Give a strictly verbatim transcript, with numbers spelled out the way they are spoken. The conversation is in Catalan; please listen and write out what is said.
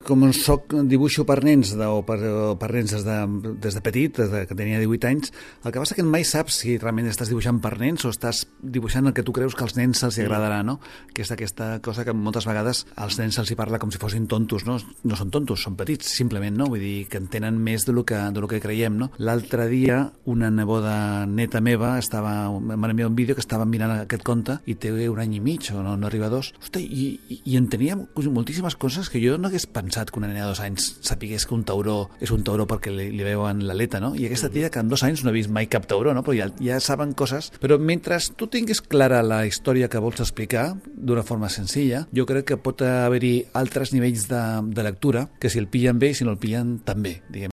Com soc, dibuixo per nens de, o, per, o per nens des de, des de petit, des de que tenia divuit anys, el que passa que mai saps si realment estàs dibuixant per nens o estàs dibuixant el que tu creus que als nens se'ls agradarà, no? Que és aquesta cosa que moltes vegades als nens se'ls hi parla com si fossin tontos, no? No són tontos, són petits, simplement, no? Vull dir que entenen més de lo que, de lo que creiem, no? L'altre dia una neboda neta meva estava, m'envia un vídeo que estava mirant aquest conte i té un any i mig o no, no arriba a dos. Hosti, i, i, i entenia moltíssimes coses que jo no hagués pensat que una nena de dos anys sapigués que un tauró és un tauró perquè li, li veuen l'aleta, no? I aquesta tia que en dos anys no ha vist mai cap tauró, no? Però ja, ja saben coses. Però mentre tu tinguis clara la història que vols explicar d'una forma senzilla, jo crec que pot haver-hi altres nivells de, de lectura que si el pillen bé i si no el pillen també, diguem.